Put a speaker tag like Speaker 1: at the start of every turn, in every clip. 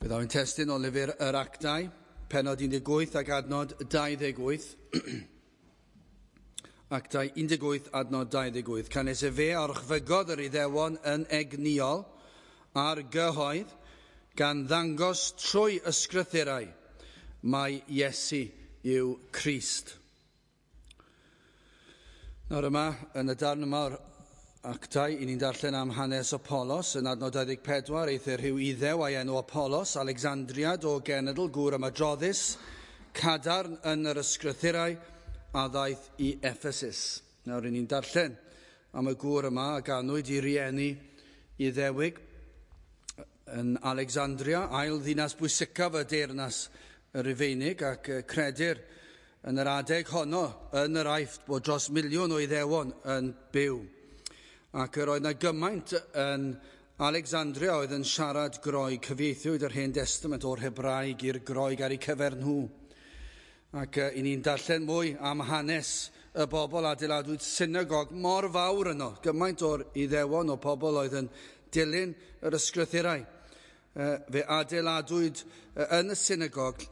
Speaker 1: Byddaf yn testun o lyfr yr Actau, pennod 18 ac adnod 28. Actau 18 adnod 28. Canys efe a orchfygodd yr Iddewon yn egnïol ar gyhoedd, gan ddangos trwy ysgrythurau mai Iesu yw Crist. Nawr yma, yn y darn yma o'r Actau, i ni'n darllen am hanes Apollos yn adnod 24, eithr rhyw Iddew a'i enw Apollos, Alexandriad o genedl, gŵr ymadroddus, cadarn yn yr ysgrythurau, a ddaeth i Ephesus. Nawr i ni'n darllen am y gŵr yma a ganwyd i rieni Iddewig yn Alexandria, ail ddinas bwysicaf y deyrnas y Rufeinig, ac credir yn yr adeg honno yn yr Aifft bod dros 1,000,000 o Iddewon yn byw. Ac yr oedd 'na gymaint yn Alexandria oedd yn siarad Groeg. Cyfieithiwyd yr Hen Destament o'r Hebraeg i'r Groeg ar eu cyfer nhw. Ac i ni'n darllen mwy am hanes y bobl, adeiladwyd synagog mor fawr yno, gymaint o'r Iddewon o pobl oedd yn dilyn yr ysgrythurau. Fe adeiladwyd yn y synagog,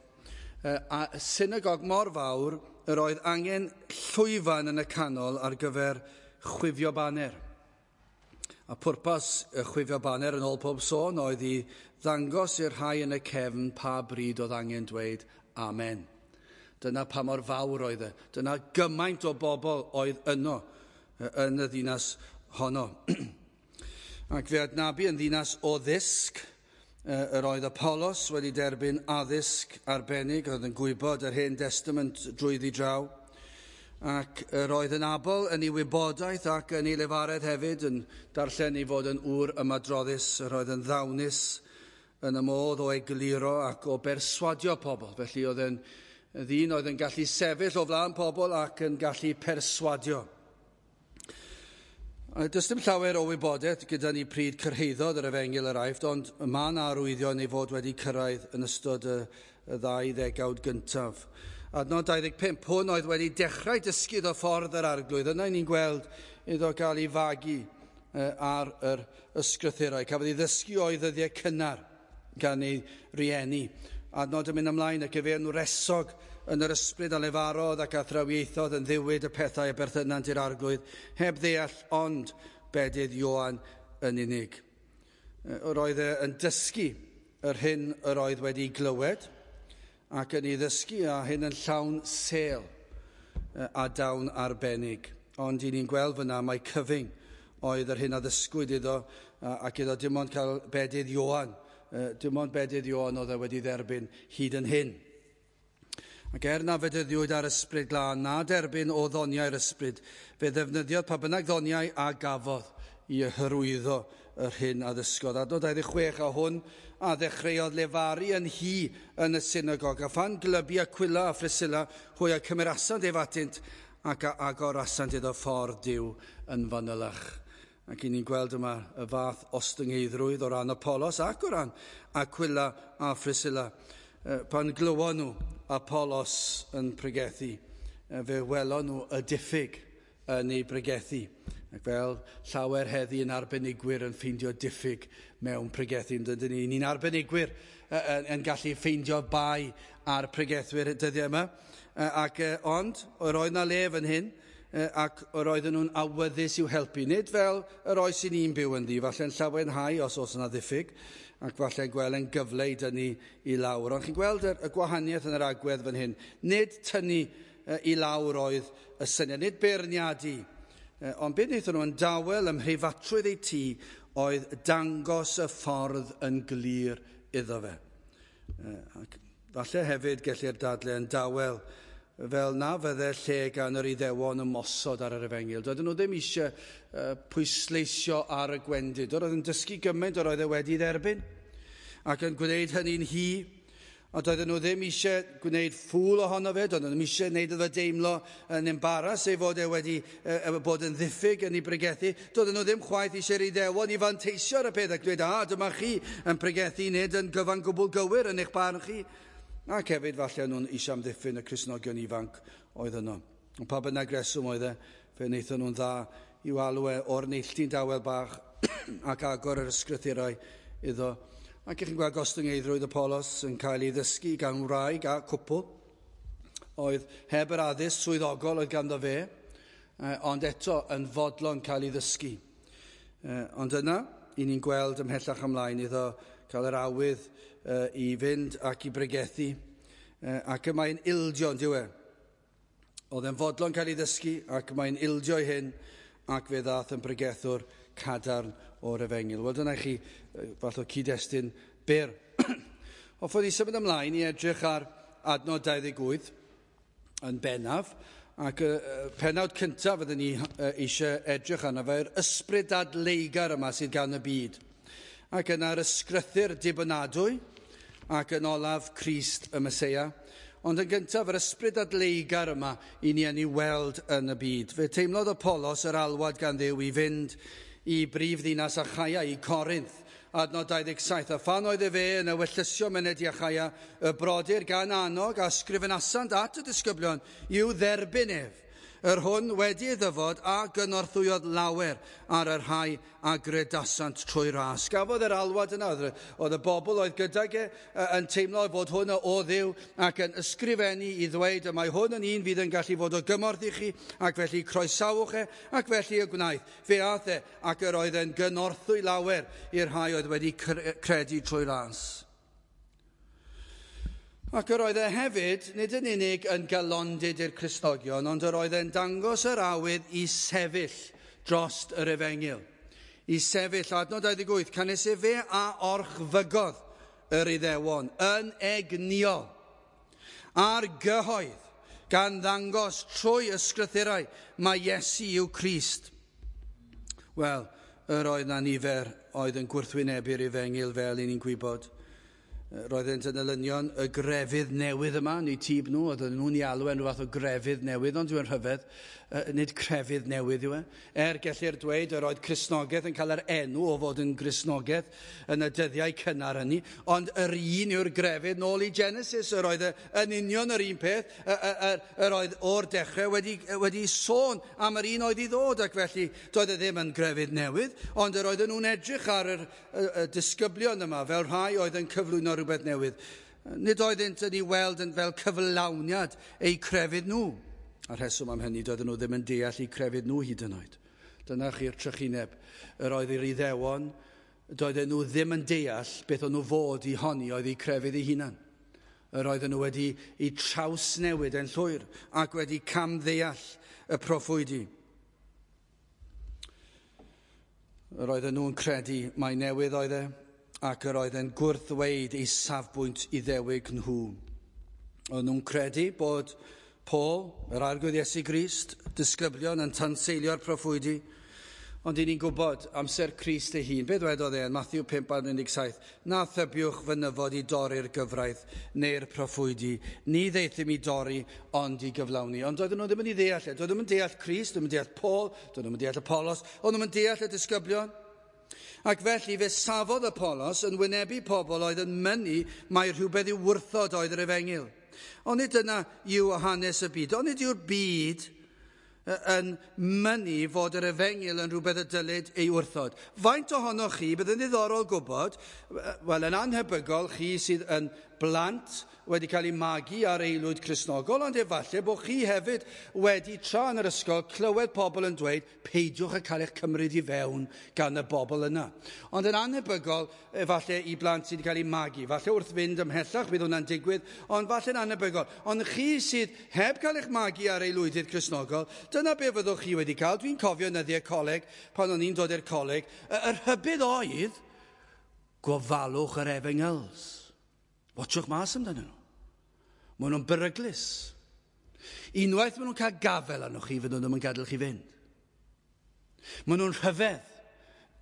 Speaker 1: a synagog mor fawr yr oedd angen llwyfan yn y canol ar gyfer chwifio baner. A pwrpas y chwifio baner yn ôl pob sôn oedd i ddangos i'r rhai yn y cefn pa bryd oedd angen dweud amen. Dyna pa mor fawr oedd e. Dyna gymaint o bobl oedd yno yn y ddinas honno. Ac fe adnabu yn ddinas o ddysg. Yr oedd Apollos wedi derbyn addysg arbennig, oedd yn gwybod yr Hen Destament drwyddi draw. Ac yr oedd yn abl yn ei wybodaeth ac yn ei lefaredd hefyd, yn darllen ei fod yn ŵr ymadroddus, yr oedd yn ddawnus yn y modd o egluro ac o berswadio pobl. Felly oedd yn ddyn oedd yn gallu sefyll o flaen pobl ac yn gallu perswadio. Does dim llawer o wybodaeth gyda ni pryd cyrhaeddodd yr efengyl yr Aifft, ond mae yna arwyddion ei fod wedi cyrraedd yn ystod y ddau ddegawd gyntaf. Adnod 25, hwn oedd wedi dechrau dysgu iddo ffordd yr Arglwydd. Yna ni'n gweld iddo gael ei fagu ar yr ysgrythurau. Cafodd ei ddysgu o'i ddyddiau cynnar gan ei rieni. Adnod yn mynd ymlaen, ac efe yn wresog yn yr ysbryd a lefarodd ac athrawiaethodd yn ddiwyd y pethau a berthynant i'r Arglwydd, heb ddeall ond bedydd Ioan yn unig. Yr oedd e yn dysgu yr hyn yr oedd wedi glywed, ac yn ei ddysgu a hyn yn llawn sêl a dawn arbennig. Ond i ni'n gweld fyna mai cyfyng oedd yr hyn a ddysgwyd iddo, ac iddo dim ond cael bedydd Ioan. Dim ond bedydd Ioan oedd e wedi dderbyn hyd yn hyn. Ac er na fedyddiwyd ar ysbryd glân na derbyn o ddoniau'r ysbryd, fe ddefnyddiodd pa bynnag ddoniau a gafodd i hyrwyddo yr hyn a ddysgodd. Adnod 26, a hwn a ddechreuodd lefaru yn hi yn y synagog, a phan glybu Aquila a Phriscilla, hwy a cymerasant ef atynt ac a agorasant iddo ffordd Duw yn fanylach. Ac i ni'n gweld yma y fath ostyngeiddrwydd o ran Apollos ac o ran Aquila a Phriscilla. Pan glywon nhw Apollos yn pregethu, fe welon nhw y diffyg yn ei bregethu. Ac fel llawer heddi yn arbenigwyr yn ffeindio diffyg mewn pregethu, dydyn ni, ni'n arbenigwyr yn gallu ffeindio bai ar pregethwyr dyddiau yma. Ond yr oedd na le fan hyn, ac yr oedden nhw'n awyddus i'w helpu. Nid fel yr oes i ni'n byw ynddi, falle'n llawenhau os oes yna ddiffyg, ac falle'n gweld yn gyfle i dynnu i lawr. Ond chi'n gweld y gwahaniaeth yn yr agwedd fan hyn. Nid tynnu i lawr oedd y syniad, nid beirniadu. Ond beth wnaethon nhw yn dawel ym mhreifatrwydd eu tŷ oedd dangos y ffordd yn glir iddo fe. Ac falle hefyd gellir dadle yn dawel fel na fydde lle gan yr Iddewon ymosod ar yr efengyl. Doedden nhw ddim eisiau pwysleisio ar y gwendid. Oedd yn dysgu gymaint yr oedd e wedi dderbyn ac yn gwneud hynny'n hi. Ond doedden nhw ddim eisiau gwneud ffŵl ohono fe, doedden nhw ddim eisiau gwneud iddo deimlo yn embaras ei fod e wedi bod yn ddiffyg yn ei bregethu. Doedden nhw ddim chwaith eisiau'r Iddewon i fanteisio ar y peth ac dweud, a dyma chi yn pregethu nid yn gyfan gwbl gywir yn eich barn chi. Ac hefyd falle nhw'n eisiau amddiffyn y Cristnogion ifanc oedd yno. Ond pa bynnag reswm oedd e, fe wnaethon nhw'n dda i'w alw e o'r neilltu'n dawel bach ac agor yr ysgrythurau iddo. Ac ych chi'n gweld gostyngeiddrwydd Apolos yn cael ei ddysgu gan wraig a cwpl oedd heb yr addysg swyddogol oedd ganddo fe, ond eto yn fodlon cael ei ddysgu. Ond yna, i ni'n gweld ymhellach ymlaen iddo cael yr awydd i fynd ac i bregethu, ac y mae'n ildio, yn dyw e. Oedd e'n fodlon cael ei ddysgu ac mae'n ildio i hyn, ac fe ddaeth yn bregethwr cadarn o'r efengyl. Wel, dyna i chi fath o cyd-destun byr. Hoffwn i symud ymlaen i edrych ar adnod 28 yn bennaf, ac y pennawd cyntaf fyddwn ni eisiau edrych arno fe, yr ysbryd dadleugar yma sydd gan y byd. Ac yna'r ysgrythur dibynadwy, ac yn olaf Crist y Meseia. Ond yn gyntaf, yr ysbryd dadleugar yma i ni yn ei weld yn y byd. Fe teimlodd Apolos yr alwad gan Dduw i fynd i brif ddinas Achaia, i Corinth, adnod 27. A phan oedd e fe yn ewyllysio myned i Achaia, y brodyr gan annog a sgrifenasant at y disgyblion i'w dderbyn ef, yr hwn wedi ei ddyfod a gynorthwyodd lawer ar y rhai a gredasant trwy ras. Gafodd yr alwad yna, oedd y bobl oedd gydag e yn teimlo fod hwn o Dduw ac yn ysgrifennu i ddweud y mae hwn yn un fydd yn gallu fod o gymorth i chi, ac felly croesawch e, ac felly y gwnaeth. Fe aeth e, ac yr oedd e'n gynorthwy lawer i'r rhai oedd wedi credu trwy ras. Ac yr oedd e hefyd, nid yn unig yn galondid i'r Cristnogion, ond yr oedd e'n dangos yr awydd i sefyll drost yr efengyl. I sefyll, adnod 28, canys efe a orchfygodd yr Iddewon yn egnïol ar gyhoedd, gan ddangos trwy ysgrythurau mae Iesu yw Crist. Wel, yr oedd na nifer oedd yn gwrthwynebu'r efengyl fel i ni'n gwybod. Roeddent yn elynion y grefydd newydd yma, neu tîb nhw, oedden nhw'n ei alw yn rhyw fath o grefydd newydd, ond dwi'n rhyfedd, nid crefydd newydd yw e. Er gellir dweud yr oedd Cristnogaeth yn cael yr enw o fod yn Gristnogaeth yn y dyddiau cynnar hynny, ond yr un yw'r grefydd nôl i Genesis, yr oedd yn union yr un peth, yr oedd o'r dechrau wedi sôn am yr un oedd i ddod, ac felly doedd e ddim yn grefydd newydd, ond yr oedden nhw'n edrych ar y disgyblion yma fel rhai oedd yn cyflwyno rhywbeth newydd. Nid oeddynt yn ei weld yn fel cyflawniad eu crefydd nhw. A'r rheswm am hynny, doedden nhw ddim yn deall eu crefydd nhw hyd yn oed. Dyna chi'r trychineb. Yr oedd yr Iddewon, doedden nhw ddim yn deall beth o'n nhw fod i honni oedd eu crefydd eu hunan. Yr oedden nhw wedi eu trawsnewid yn llwyr ac wedi camddeall y proffwydi. Yr oedden nhw'n credu mai newydd oedd e, ac yr oedd e'n gwrthweud ei safbwynt Iddewig nhw. Oedden nhw'n credu bod Paul, yr Arglwydd Iesu Grist, disgyblion yn tanseilio'r proffwydi, ond i ni'n gwybod amser Crist ei hun. Be ddwedodd e yn Matthew 5:17? Na thybiwch fy nyfod i dorri'r gyfraith neu'r proffwydi. Ni ddeithum i dorri, ond i gyflawni. Ond doedden nhw ddim yn ei ddeall e. Doedden nhw'n deall Crist, doedden nhw'n deall Paul, doedden nhw'n deall Apollos, oedden nhw'n deall y disgyblion. Ac felly fe safodd Apolos yn wynebu pobl oedd yn mynnu mai rhywbeth i'w wrthod oedd yr efengyl. Ond nid dyna yw hanes y byd. Ond nid yw'r byd yn mynnu fod yr efengyl yn rhywbeth y dylid ei wrthod. Faint ohonoch chi, bydd yn ddiddorol gwybod, wel yn anhebygol chi sydd yn blant wedi cael eu magu ar aelwyd Cristnogol, ond efallai bod chi hefyd wedi tra yn yr ysgol clywed pobl yn dweud peidiwch â cael eich cymryd i fewn gan y bobl yna. Ond yn anhebygol, efallai i blant sydd wedi cael eu magu, falle wrth fynd ymhellach bydd hwnna'n digwydd, ond falle'n anhebygol. Ond chi sydd heb cael eich magu ar aelwydydd Cristnogol, dyna be fyddwch chi wedi cael. Dwi'n cofio yn nyddiau coleg, pan o'n i'n dod i'r coleg, yr rhybudd oedd gofalwch yr efengyls. Watchwch mas amdanyn nhw. Maen nhw'n beryglus. Unwaith maen nhw'n cael gafel arnoch chi, fydden nhw ddim yn gadael chi fynd. Maen nhw'n rhyfedd.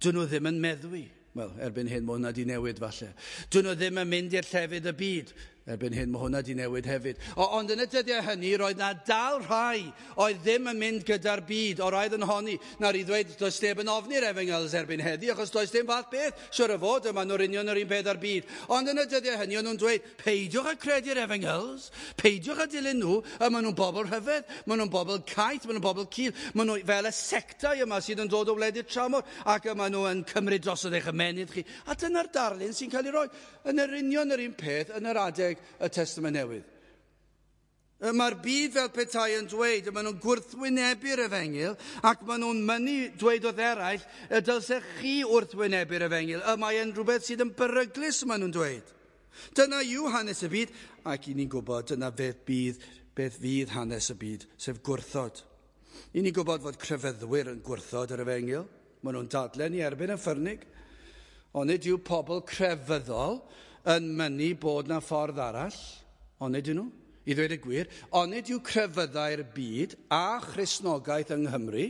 Speaker 1: Dyn nhw ddim yn meddwi. Wel, erbyn hyn, mae hwnna wedi newid falle. Dyn nhw ddim yn mynd i'r llefydd y byd. Erbyn hyn, mae hwnna wedi newid hefyd. Ond yn y dyddiau hynny, roedd na dal rhai oedd ddim yn mynd gyda'r byd, o roedd yn honni. Nawr i ddweud, does neb yn ofni'r efengyls erbyn heddi, achos does dim fath beth, siwr o fod, yma nhw'r union yr un peth ar byd. Ond yn y dyddiau hynny, o'n nhw'n dweud, peidiwch â credu'r efengyls, peidiwch â dilyn nhw, y maen nhw'n bobl rhyfedd, maen nhw'n bobl caeth, maen nhw'n bobl cul, maen nhw fel y sectau yma sydd yn dod o wledydd tramor, ac y maen nhw yn cymryd drosodd eich ymennydd chi. A dyna'r darlun sy'n cael ei roi yn yr union yr un peth yn yr adeg y Testament Newydd. Mae'r byd fel petai yn dweud, maen nhw'n gwrthwynebu'r efengyl, ac maen nhw'n mynnu dweud wrth eraill, y dylsech chi wrthwynebu'r efengyl. Y mae yn rhywbeth sydd yn beryglus, maen nhw'n dweud. Dyna yw hanes y byd, ac i ni'n gwybod dyna beth fydd hanes y byd, sef gwrthod. I ni'n gwybod fod crefyddwyr yn gwrthod yr efengyl. Maen nhw'n dadlen i erbyn y ffyrnig. Ond nid yw pobl crefyddol yn mynnu bod na ffordd arall, ond nid nhw, i ddweud y gwir, ond nid yw crefyddau'r byd a Christnogaeth yng Nghymru,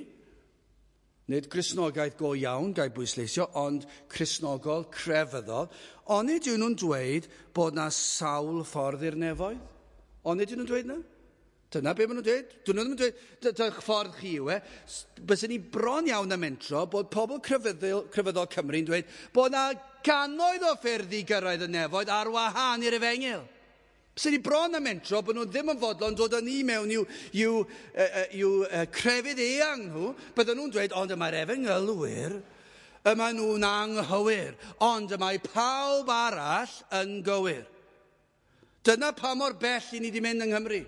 Speaker 1: nid Cristnogaeth go iawn, gael bwysleisio, ond Cristnogol crefyddol, ond nid yw nhw'n dweud bod na sawl ffordd i'r nefoedd? Ond nid yw nhw'n dweud na? Dyna be maen nhw'n dweud. Dyn nhw ddim yn dweud, dych ffordd chi yw e. Byswn ni bron iawn am mentro bod pobl crefyddol Cymru'n dweud bod na gannoedd o ffyrdd i gyrraedd y nefoedd ar wahân i'r efengyl. Byswn ni bron am mentro bod nhw ddim yn fodlon dod â ni mewn i'w crefydd eang nhw. Bydden nhw'n dweud, ond y mae'r efengylwyr, y maen nhw'n anghywir, ond y mae pawb arall yn gywir. Dyna pa mor bell i ni wedi mynd yng Nghymru.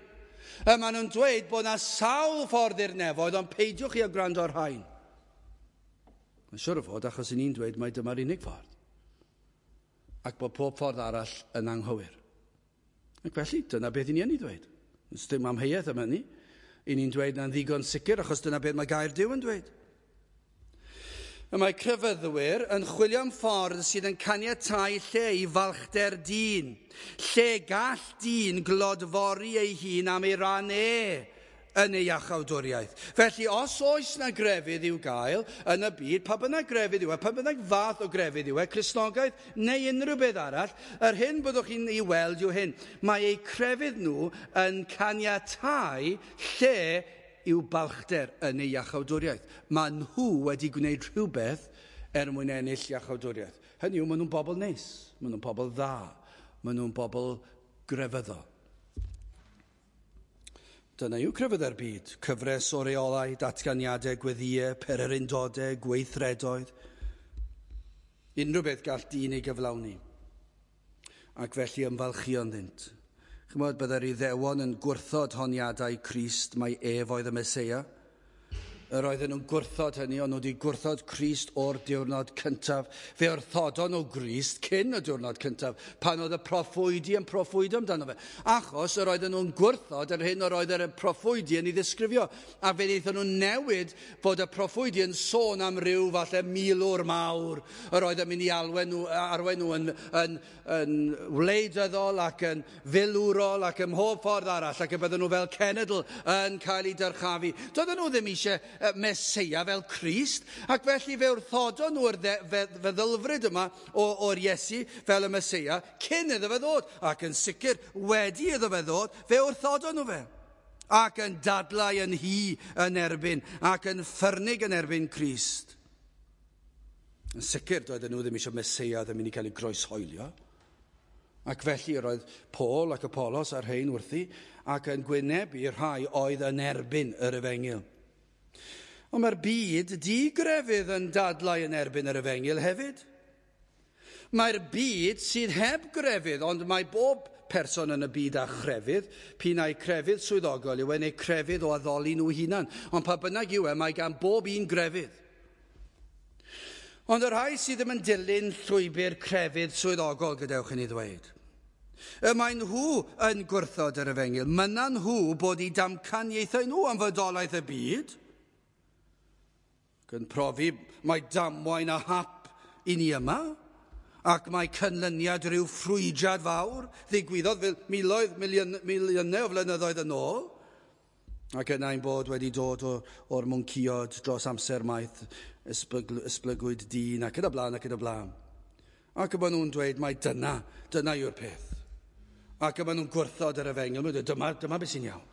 Speaker 1: Y maen nhw'n dweud bod na sawl ffordd i'r nefoedd, ond peidiwch chi â gwrando ar rhain. Mae'n siŵr o fod achos i ni'n dweud mai dyma'r unig ffordd. Ac bod pob ffordd arall yn anghywir. Ac felly, dyna beth i ni yn ei ddweud. Does dim amheuaeth am hynny. I ni'n dweud na'n ddigon sicr, achos dyna beth mae gair Duw yn dweud. Y mae crefyddwyr yn chwilio am ffordd sydd yn caniatáu lle i falchder dyn, lle gall dyn glodfori ei hun am ei ran e yn ei iachawdwriaeth. Felly, os oes na grefydd i'w gael yn y byd, pa bynnag grefydd yw e, pa bynnag fath o grefydd yw e, Cristnogaeth neu unrhyw beth arall, yr hyn byddwch chi'n ei weld yw hyn. Mae eu crefydd nhw yn caniatáu lle i'w balchder yn ei iachawdwriaeth. Mae nhw wedi gwneud rhywbeth er mwyn ennill iachawdwriaeth. Hynny yw, maen nhw'n bobl neis, maen nhw'n bobl dda, maen nhw'n bobl grefyddol. Dyna yw crefyddau'r byd. Cyfres o reolau, datganiadau, gweddïau, pererindodau, gweithredoedd. Unrhyw beth gall dyn ei gyflawni. Ac felly ymfalchio ynddynt. Chymod, byddai'r Iddewon yn gwrthod honiadau Crist mai ef oedd y Meseia. Yr oedden nhw'n gwrthod hynny, ond nhw wedi gwrthod Crist o'r diwrnod cyntaf. Fe wrthodon nhw Grist cyn y diwrnod cyntaf, pan oedd y proffwydi yn proffwydo amdano fe. Achos yr oedden nhw'n gwrthod yr hyn yr oedd y proffwydi yn ei ddisgrifio. A fe wnaethon nhw newid fod y proffwydi yn sôn am ryw falle milwr mawr. Yr oedd yn mynd i arwain nhw yn wleidyddol ac yn filwrol ac ym mhob ffordd arall, ac y bydden nhw fel cenedl yn cael eu dyrchafu. Doedden nhw ddim eisiau Meseia fel Crist, ac felly fe wrthodon nhw'r feddylfryd yma o'r Iesu fel y Meseia cyn iddo fe ddod, ac yn sicr wedi iddo fe ddod, fe wrthodon nhw fe, ac yn dadlau yn hy yn erbyn, ac yn ffyrnig yn erbyn Crist. Yn sicr doedden nhw ddim eisiau Meseia ddim mynd i cael ei groeshoelio, ac felly roedd Paul ac Apollos a'r rhain wrthi, ac yn gwynebu rhai oedd yn erbyn yr efengyl. Ond mae'r byd digrefydd yn dadlau yn erbyn yr efengyl hefyd. Mae'r byd sydd heb grefydd, ond mae bob person yn y byd â chrefydd, p'un ai crefydd swyddogol yw e neu crefydd o addoli nhw hunan. Ond pa bynnag yw e, mae gan bob un grefydd. Ond y rhai sydd ddim yn dilyn llwybr crefydd swyddogol, gadewch i ni ddweud. Y mae nhw yn gwrthod yr efengyl. Mynnan nhw bod eu damcaniaethau nhw am fodolaeth y byd, yn profi mae damwain a hap i ni yma, ac mae canlyniad rhyw ffrwydrad fawr ddigwyddodd fel miloedd, miliynau o flynyddoedd yn ôl, ac yna ein bod wedi dod o'r mwnciod dros amser maith, esblygwyd dyn ac yn y blaen ac yn y blaen. Ac y maen nhw'n dweud mai dyna yw'r peth. Ac y maen nhw'n gwrthod yr efengyl. Maen nhw'n dweud, dyma beth sy'n iawn.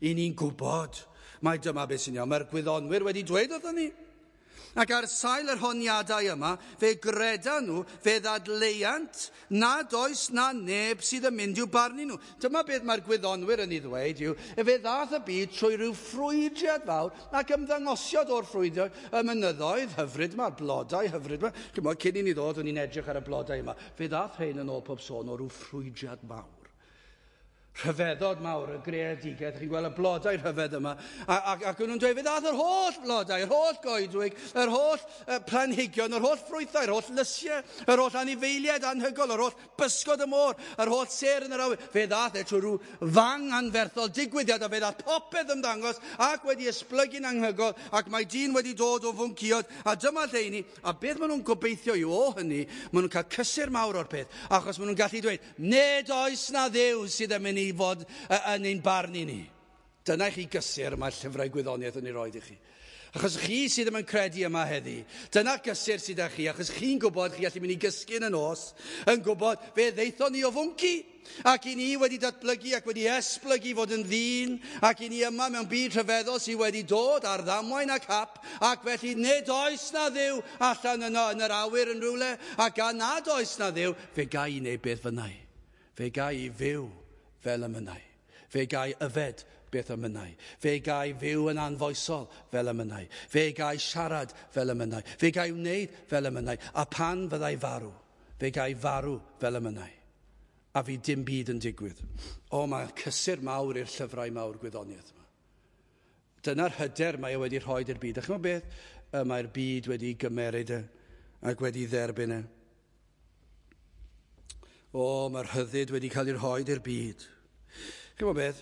Speaker 1: I ni'n gwybod mai dyma beth sy'n iawn. Mae'r gwyddonwyr wedi dweud wrthon ni. Ac ar sail yr honiadau yma, fe gredan nhw, fe ddadleuant nad oes na neb sydd yn mynd i'w barnu nhw. Dyma beth mae'r gwyddonwyr yn ei ddweud yw, fe ddath y byd trwy rhyw ffrwydriad fawr ac ymddangosiad o'r ffrwydriad y mynyddoedd hyfryd yma, blodau hyfryd yma. Chimod, cyn i ni ddod, o'n i'n edrych ar y blodau yma. Fe ddath rhain yn ôl pob sôn o ryw ffrwydriad mawr. Rhyfeddod mawr y greadigaeth, chi'n gweld y blodau rhyfedd yma, ac o'n nhw'n dweud, fe ddath yr holl blodau, yr holl goedwig, yr holl planhigion, yr holl ffrwythau, yr holl lysiau, yr holl anifeiliaid anhygoel, yr holl bysgod y môr, yr holl sêr yn yr awyr. Fe ddath e trwy rhyw fang anferthol digwyddiad, a fe ddath popeth ymddangos ac wedi esblygu'n anhygoel, ac mae dyn wedi dod o fwncïod, a dyma lle i ni, a beth maen nhw'n gobeithio yw o hynny, maen nhw'n cael cysur mawr o'r peth, achos maen nhw'n gallu dweud, nid oes na Dduw sydd yn mynd i fod yn ein barn i ni. Dyna i chi gysur mae'r llyfrau gwyddoniaeth yn ei roed i chi. Achos chi sydd ddim yn credu yma heddi, dyna gysur sydd â chi, achos chi'n gwybod chi allu mynd i gysgu yn y nos, yn gwybod fe ddeithon ni o fwnci, ac i ni wedi datblygu ac wedi esblygu fod yn ddyn, ac i ni yma mewn byd rhyfeddol sydd wedi dod ar ddamwain ac hap, ac felly nid oes na Dduw allan yno yn yr awyr yn rhywle, ac gan nad oes na Dduw, fe ga i wneud beth fynnai. Fe ga i fyw fel y mynnai. Fe gai yfed beth y mynnai. Fe gai fyw yn anfoesol fel y mynnai. Fe gai siarad fel y mynnai. Fe gai wneud fel y mynnai. A pan fyddai farw, fe gai farw fel y mynnai. A fi dim byd yn digwydd. O, mae cysur mawr i'r llyfrau mawr gwyddoniaeth yma. Dyna'r hyder mae e wedi rhoi i'r byd. A chimod beth? Mae'r byd wedi gymeryd e ac wedi dderbyn e. O, mae'r rhyddid wedi cael ei rhoi i'r byd. Chimod beth?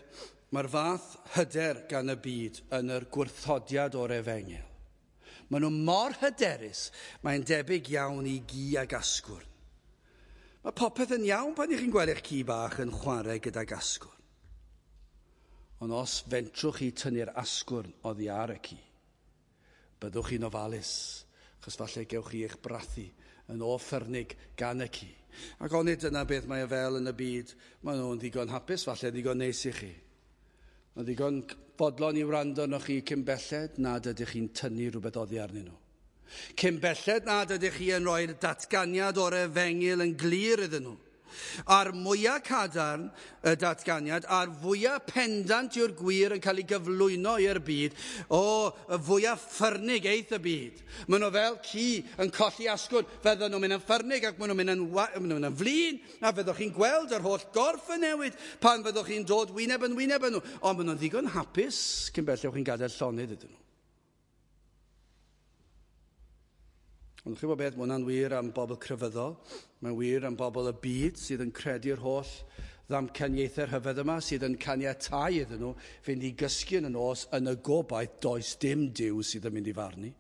Speaker 1: Mae'r fath hyder gan y byd yn yr gwrthodiad o'r efengyl. Maen nhw mor hyderus, mae'n debyg iawn i gi ag asgwrn. Mae popeth yn iawn pan ych chi'n gweld eich ci bach yn chwarae gydag asgwrn. Ond os fentrwch chi tynnu'r asgwrn oddi ar y ci, byddwch chi'n ofalus, achos falle gewch chi eich brathu yn o ffyrnig gan y ci. Ac onid dyna beth mae e fel yn y byd, maen nhw'n ddigon hapus, falle ddigon neis i chi. Mae'n ddigon fodlon i wrando arnoch chi cyn belled nad ydych chi'n tynnu rhywbeth oddi arnyn nhw. Cyn belled nad ydych chi yn rhoi'r datganiad o'r efengyl yn glir iddyn nhw. A'r mwyaf cadarn y datganiad, a'r fwyaf pendant yw'r gwir yn cael ei gyflwyno i'r byd, o, y fwyaf ffyrnig eith y byd. Maen nhw fel ci yn colli asgwrn, fydden nhw'n mynd yn ffyrnig ac maen nhw'n mynd yn flin, a fyddwch chi'n gweld yr holl gorff yn newid pan fyddwch chi'n dod wyneb yn wyneb yn nhw. Ond maen nhw'n ddigon hapus cyn belled chi'n gadael llonydd iddyn nhw. Ond chi'n gwybod beth, mae hwnna'n wir am bobl crefyddol, mae'n wir am bobl y byd sydd yn credu'r holl ddamcaniaethau rhyfedd yma, sydd yn caniatáu iddyn nhw fynd i gysgu yn y nos yn y gobaith does dim Duw sydd yn mynd i farnu.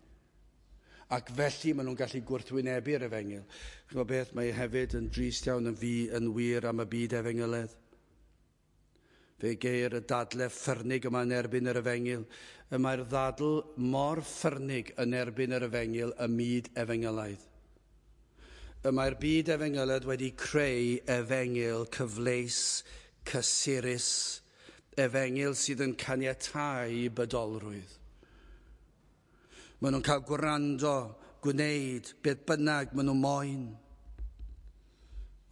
Speaker 1: Ac felly maen nhw'n gallu gwrthwynebu'r efengyl. Chi'n gwybod beth, mae hefyd yn drist iawn yn fi yn wir am y byd efengyledd. Fe geir y dadle ffyrnig yma yn erbyn yr efengyl. Y mae'r ddadl mor ffyrnig yn erbyn yr efengyl y myd efengylaidd. Y mae'r byd efengylaidd wedi creu efengyl cyfleus, cysurus, efengyl sydd yn caniatáu bydolrwydd. Maen nhw'n cael gwrando, gwneud, beth bynnag maen nhw moyn.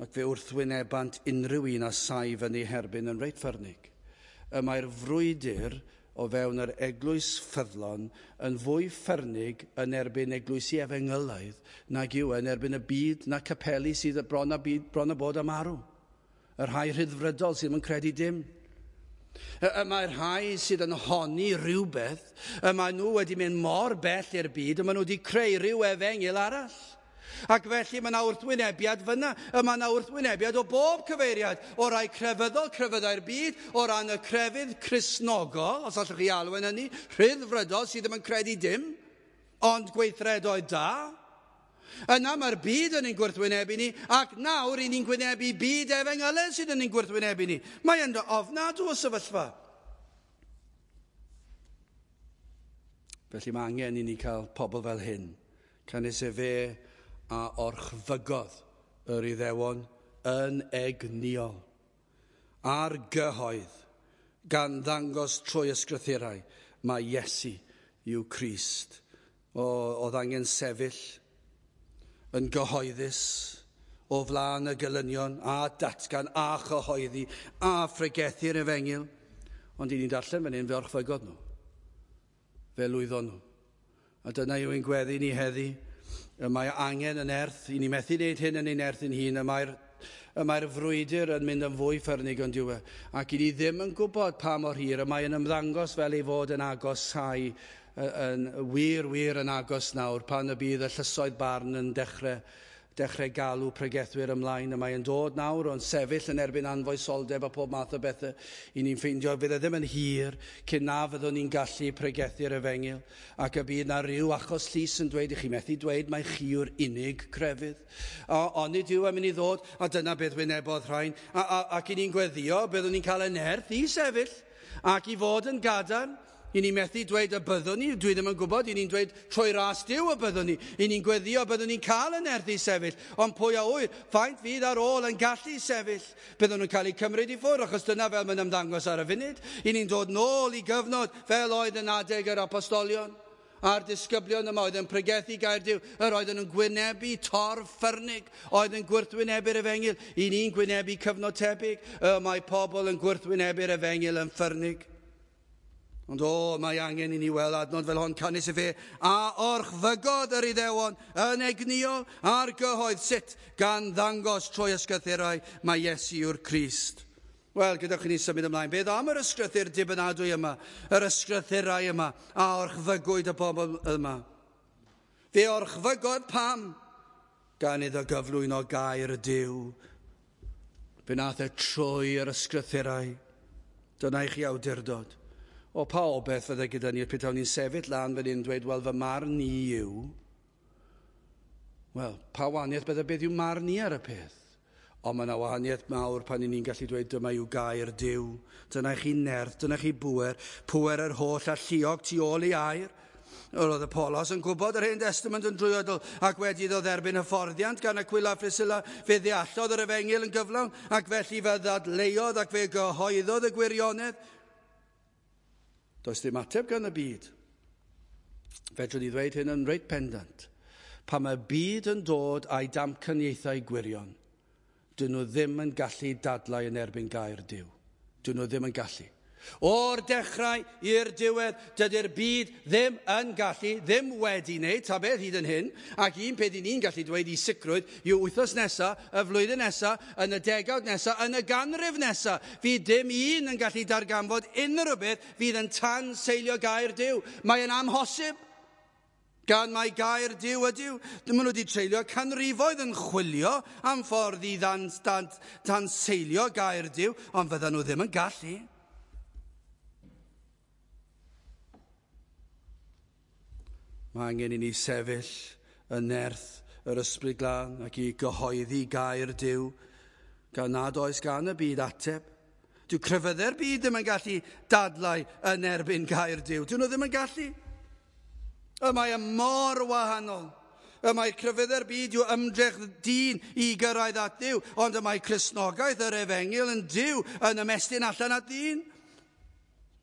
Speaker 1: Ac fe wrthwynebant unrhyw un a saif yn ei herbyn yn reit ffyrnig. Y mae'r frwydr o fewn yr eglwys ffyddlon yn fwy ffyrnig yn erbyn eglwysi efengylaidd nag yw yn erbyn y byd na capeli sydd bron a, byd, bron a bod am marw. Y rhai rhyddfrydol sydd ddim yn credu dim. Y mae'r rhai sydd yn honni rhywbeth, y mae nhw wedi mynd mor bell i'r byd, y maen nhw wedi creu rhyw efengyl arall. Ac felly mae yna wrthwynebiad fyna, y mae yna wrthwynebiad o bob cyfeiriad, o rai crefyddol, crefyddau'r byd, o ran y crefydd Cristnogol, os allwch chi alw yn hynny, rhyddfrydol sydd ddim yn credu dim, ond gweithredoedd da. Yna mae'r byd yn ein gwrthwynebu ni, ac nawr i ni'n gwynebu byd efengylaidd sydd yn ein gwrthwynebu ni. Mae yn ofnadw o sefyllfa. Felly mae angen i ni cael pobl fel hyn. Canys efe a orchfygodd yr Iddewon yn egnïol. Ar gyhoedd, gan ddangos trwy ysgrythurau, mae Iesu yw Crist. O, oedd angen sefyll yn gyhoeddus o flaen y gelynion a datgan a chyhoeddi a phregethu'r efengyl. Ond i ni'n darllen fan hyn, fe orchfygodd nhw. Fe lwyddon nhw. A dyna yw ein gweddi ni heddi. Y mae angen yn erth, i ni methu wneud hyn yn ein erth ein hun, y mae'r y mae'r frwydr yn mynd yn fwy ffyrnig ond yw e. Ac i ni ddim yn gwybod pa mor hir, y mae yn ymddangos fel ei fod yn agosau, yn wir, wir yn agos nawr, pan y bydd y llysoedd barn yn dechrau dechrau galw pregethwyr ymlaen. Y mae yn dod nawr o'n sefyll yn erbyn anfoesoldeb a pob math o bethau. I ni'n ffeindio fydd e ddim yn hir cyn na fyddwn ni'n gallu pregethu'r efengyl ac y bydd na ryw achos llys yn dweud i chi methu dweud mai chi yw'r unig crefydd. Ond nid yw e'n mynd i ddod, a dyna beth wynebodd rhain. A, a, ac i ni'n gweddio, byddwn ni'n cael y nerth i sefyll ac i fod yn gadarn. I ni methu dweud y byddwn ni, dwi ddim yn gwybod, i ni'n dweud trwy ras Duw y byddwn ni. I ni'n gweddio byddwn ni'n cael y nerth i sefyll, ond pwy a ŵyr, faint fydd ar ôl yn gallu sefyll. Byddwn nhw'n cael eu cymryd i ffwrdd, achos dyna fel mae'n ymddangos ar y funud. I ni'n dod nôl i gyfnod fel oedd yn adeg yr apostolion a'r disgyblion yma oedd yn pregethu gair Duw, yr oedden nhw'n gwynebu torf ffyrnig, oedd yn gwrthwynebu'r efengyl. I ni'n gwynebu cyfnod tebyg, y mae pobl yn gwrthwynebu'r efengyl yn ffyrnig. Ond o, mae angen i ni weld adnod fel hon, canys y fe a orchfygodd yr Iddewon yn egnïol ar gyhoedd sut gan ddangos trwy ysgrythurau mae Iesu yw'r Crist. Wel, gadewch i ni symud ymlaen. Beth am yr ysgrythur dibynadwy yma, yr ysgrythurau yma, a orchfygwyd y bobl yma? Fe orchfygodd pam? Gan iddo gyflwyno gair y Duw. Fe nath e trwy yr ysgrythurau. Dyna i chi awdurdod. O, pa obeth fydde gyda ni petawn ni'n sefyll lan fan hyn yn dweud, wel, fy marn i yw. Wel, pa wahaniaeth bydde beth yw marn i ar y peth? Ond mae yna wahaniaeth mawr pan 'y ni'n gallu dweud dyma yw gair Duw. Dyna i chi nerth, dyna chi bŵer, pŵer yr holl alluog tu ôl i air. Yr oedd Apolos yn gwybod yr Hen Testament yn drwyadl ac wedi iddo dderbyn hyfforddiant gan Aquila a Priscilla, fe ddeallodd yr efengyl yn gyflawn ac felly fe ddadleuodd ac fe gyhoeddodd y gwirionedd. Does dim ateb gan y byd. Fedrwn ni ddweud hyn yn reit pendant. Pan mae byd yn dod a'i damcaniaethau gwirion, dyn nhw ddim yn gallu dadlau yn erbyn gair Duw. Dyn nhw ddim yn gallu. O'r dechrau i'r diwedd, dydy'r byd ddim yn gallu, ddim wedi wneud, ta beth hyd yn hyn, ac un peth i ni'n gallu dweud i sicrwydd yw wythnos nesa, y flwyddyn nesa, yn y degawd nesa, yn y ganrif nesa, fydd dim un yn gallu darganfod unrhyw beth fydd yn tanseilio gair Duw. Mae'n amhosib. Gan mai gair Duw ydyw. Maen nhw wedi treulio canrifoedd yn chwilio am ffordd i tanseilio gair Duw, ond fyddan nhw ddim yn gallu. Mae angen i ni sefyll yn nerth yr Ysbryd Glân ac i gyhoeddi gair Duw, gan nad oes gan y byd ateb. Dyw crefyddau'r byd ddim yn gallu dadlau yn erbyn gair Duw. Dyn nhw ddim yn gallu. Y mae e mor wahanol. Y mae crefyddau'r byd yw ymdrech dyn i gyrraedd at Dduw, ond y mae Cristnogaeth yr efengyl yn Duw yn ymestyn allan at ddyn.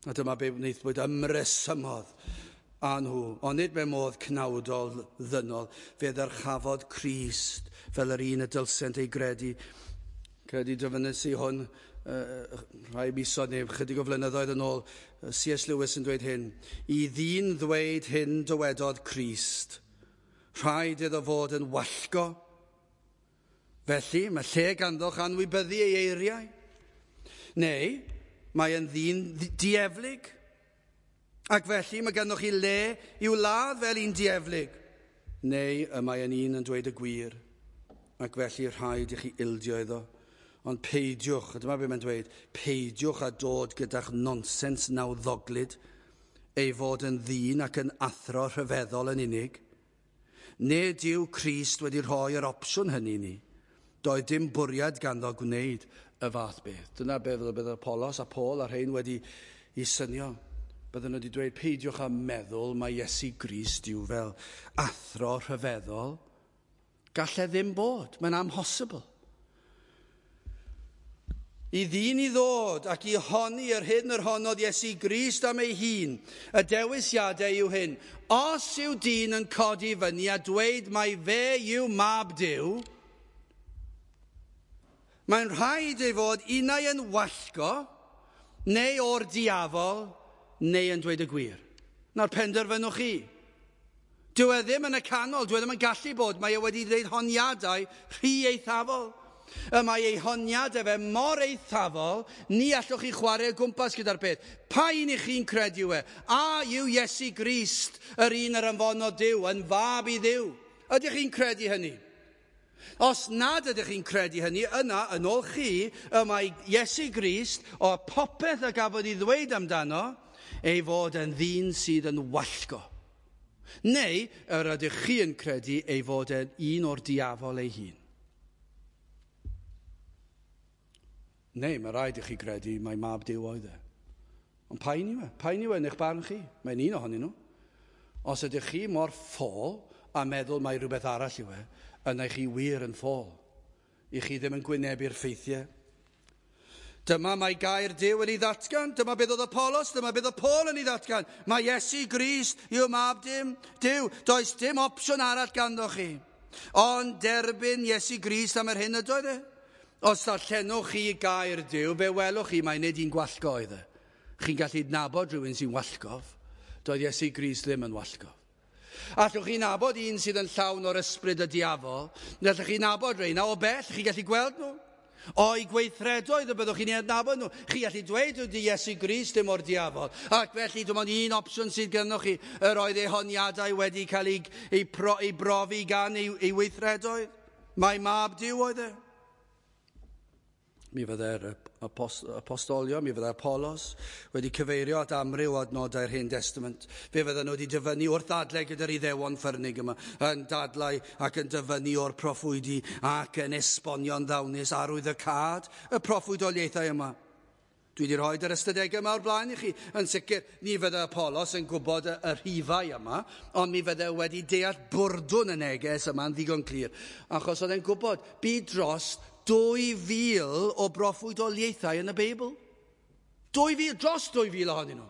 Speaker 1: A dyma be wnaethpwyd ymresymodd â nhw, ond nid mewn modd cnawdol ddynol, fe ddyrchafodd Crist fel yr un y dylsent ei gredu. Credu dyfynnes i hwn rhai misoedd neu chydig o flynyddoedd yn ôl, C.S. Lewis yn dweud hyn. I ddyn ddweud hyn dywedodd Crist, rhaid iddo fod yn wallgo. Felly, mae lle ganddoch anwybyddu ei eiriau. Neu, mae yn ddyn dieflig. Ac felly mae ganddoch chi le i'w ladd fel un dieflig. Neu y mae yn un yn dweud y gwir. Ac felly rhaid i chi ildio iddo. Ond peidiwch, a dyma beth mae'n dweud, peidiwch â dod gyda'ch nonsens nawddoglyd, ei fod yn ddyn ac yn athro rhyfeddol yn unig. Nid yw Crist wedi rhoi yr opsiwn hynny i ni. Doedd dim bwriad ganddo gwneud y fath beth. Dyna beth bydd Apolos a Paul a rhain wedi i synio. Bydden nhw wedi dweud, peidiwch â meddwl mae Iesu Grist yw fel athro rhyfeddol. Gall e ddim bod, mae'n amhosibl. I ddyn i ddod ac i honni yr hyn yr honnodd Iesu Grist am ei hun, y dewisiadau yw hyn. Os yw dyn yn codi fyny a dweud mai fe yw mab Duw, mae'n rhaid ei fod unai yn wallgo, neu o'r diafol, neu yn dweud y gwir. Na'r penderfynwch chi. Dyw e ddim yn y canol, dyw e ddim yn gallu bod. Mae e wedi dweud honiadau rhy eithafol. Y mae ei honiadau fe mor eithafol, ni allwch chi chwarae o gwmpas gyda'r peth. Pa un i chi'n credu yw e? A yw Iesu Grist, yr un yr anfonodd Duw, yn fab i Dduw? Ydych chi'n credu hynny? Os nad ydych chi'n credu hynny, yna, yn ôl chi, y mae Iesu Grist, o popeth a gafodd ei ddweud amdano, ei fod yn ddyn sydd yn wallgo. Neu, yr ydych chi yn credu ei fod yn un o'r diafol ei hun. Neu, mae rhaid i chi gredu mai mab Duw oedd e. Ond pa un yw e? Pa un yw e yn eich barn chi? Mae'n un ohonyn nhw. Os ydych chi mor ffôl a meddwl mai rhywbeth arall yw e, yna chi wir yn ffôl. I chi ddim yn gwynebu'r ffeithiau. Dyma mae gair Duw yn ei ddatgan. Dyma beth oedd Apollos, dyma beth oedd Paul yn ei ddatgan. Mae Iesu Grist yw mab dim, Duw. Does dim opsiwn arall ganddo chi. Ond derbyn Iesu Grist am yr hyn ydoedd e. Os darllenwch chi gair Duw, fe welwch chi mai nid un gwallgo oedd e. Chi'n gallu nabod rhywun sy'n wallgof. Doedd Iesu Grist ddim yn wallgof. Allwch chi nabod un sydd yn llawn o'r ysbryd y diafol. Allwch chi nabod rheina o bell, chi'n gallu gweld nhw. O'i gweithredoedd y byddwch chi'n ei adnabod nhw. Chi gallu dweud ydy Iesu Grist dim o'r diafol. Ac felly dim ond un opsiwn sydd gynnoch chi, yr oedd ei honiadau wedi cael ei brofi gan ei weithredoedd. Mae mab Duw oedd e. Mi fyddai'r apostolion, mi fyddai Apollos wedi cyfeirio at amryw o adnodau'r Hen Testament. Fe fydden nhw wedi dyfynnu wrth ddadlau gyda'r Iddewon ffyrnig yma, yn dadlau ac yn dyfynnu o'r proffwydi ac yn esbonio'n ddawnus arwyddocâd y proffwydoliaethau yma. Dwi wedi rhoi yr ystadegau yma o'r blaen i chi. Yn sicr, ni fydde Apollos yn gwybod y rhifau yma, ond mi fydde wedi deall bwrdwn y neges yma'n ddigon clir. Achos oedd e'n gwybod, bu dros 2,000 o broffwydoliaethau yn y Beibl. 2,000, dros 2,000 ohonyn nhw.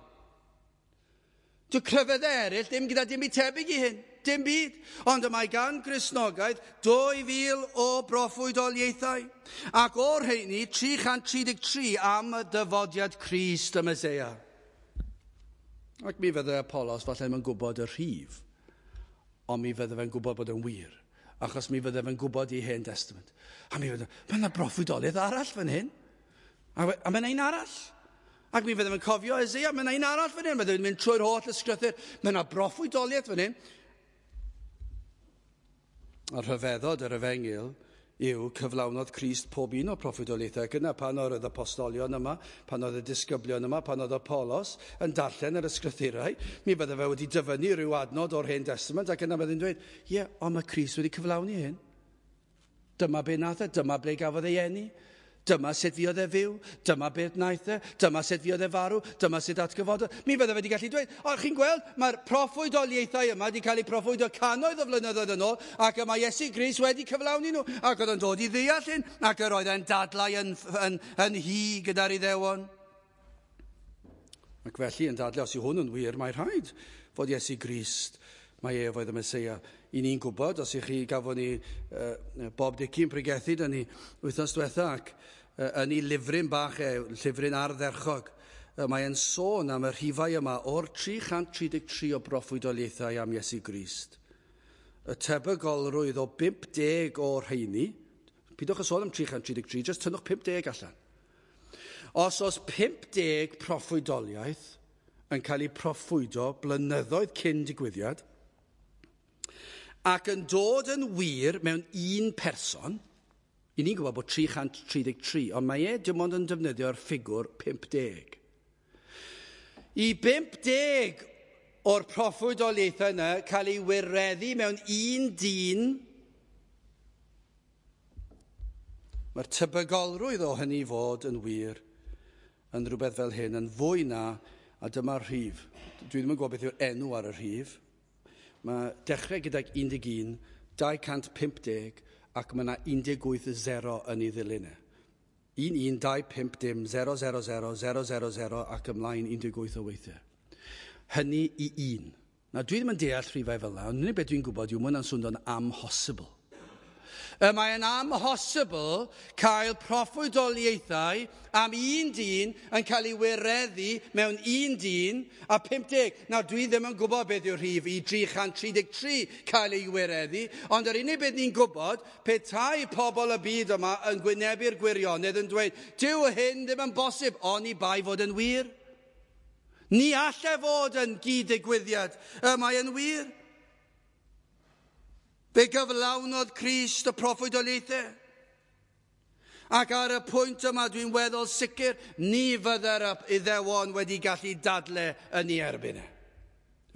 Speaker 1: Dyw crefyddau eraill ddim gyda dim byd tebyg i hyn, dim byd. Ond y mae gan Gristnogaeth 2,000 o broffwydoliaethau. Ac o'r rheini, 333 am y dyfodiad Crist y Meseia. Ac mi fydde Apollos falle ddim yn gwybod y rhif, ond mi fydde fe'n gwybod bod yn wir, achos mi fydde fe'n gwybod i Hen Testament. A mi fydde, mae yna broffwydoliaeth arall fan hyn. A mae yna un arall. Ac mi fydde fe'n cofio Eseia, mae yna un arall fan hyn. Mae fe'n mynd trwy'r holl ysgrythur. Mae yna broffwydoliaeth fan hyn. A rhyfeddod yr efengyl yw cyflawnodd Crist pob un o'r proffwydoliaethau. Ac yna pan oedd y apostolion yma, pan oedd y disgyblion yma, pan oedd Apollos yn darllen yr ysgrythurau, mi fydde fe wedi dyfynnu rhyw adnod o'r Hen Testament ac yna bydde'n dweud, ie, ond mae Crist wedi cyflawni hyn. Dyma be nath e, dyma ble gafodd ei eni, dyma sut fuodd e fyw, dyma beth wnaeth e, dyma sut fuodd e farw, dyma sut atgyfododd. Mi fydde fe wedi gallu dweud, o, chi'n gweld, mae'r proffwydoliaethau yma wedi cael eu proffwydo cannoedd o flynyddoedd yn ôl, ac y mae Iesu Grist wedi cyflawni nhw, ac oedd yn dod i ddeall hyn, ac yr oedd e'n dadlau yn hy gyda'r Iddewon. Ac felly yn dadlau, os yw hwn yn wir, mae rhaid fod Iesu Grist, mae ef oedd y Meseia. I ni'n gwybod, os ych chi gafon ni Bob Dickie yn pregethu dyn ni wythnos diwetha, ac yn ei lyfryn bach e, llyfryn ardderchog, mae e'n sôn am y rhifau yma o'r 333 o broffwydoliaethau am Iesu Grist. Y tebygolrwydd o 50 o'r rheini, pidwch â sôn am 333, jyst tynnwch 50 allan. Os oes 50 proffwydoliaeth yn cael ei proffwydo blynyddoedd cyn digwyddiad, ac yn dod yn wir mewn un person, i ni'n gwybod bod 333, ond mae e dim ond yn defnyddio'r ffigwr 50. I 50 o'r proffwydoliaethau yna cael ei wireddu mewn un dyn, mae'r tebygolrwydd o hynny fod yn wir yn rhywbeth fel hyn, yn fwy na, a dyma'r rhif. Dwi ddim yn gwybod beth yw'r enw ar y rhif. Mae dechrau gydag 11, 250, ac mae yna 18 0 yn ei ddilyn e. 1, 1, 2, 5, dim, 0, 0, 0, 0, 0, 0 ac ymlaen 18 o weithiau. Hynny i un. Na, dwi ddim yn deall rhifau fel yna, ond unig beth dwi'n gwybod yw mae hwnna'n swnio'n amhosibl. Y mae'n amhosibl cael proffwydoliaethau am un dyn yn cael ei wireddu mewn un dyn a 50. Nawr, dwi ddim yn gwybod beth yw'r rhif i 333 cael ei wireddu, ond yr unig beth ni'n gwybod, petai pobl y byd yma yn gwynebu'r gwirionedd yn dweud, dyw hyn ddim yn bosib, oni bai fod yn wir. Ni allai fod yn gyd-ddigwyddiad, y mae yn wir. Fe gyflawnodd Crist y proffwydoliaethau. Ac ar y pwynt yma dwi'n weddol sicr, ni fydde'r Iddewon wedi gallu dadle yn ei erbyn e.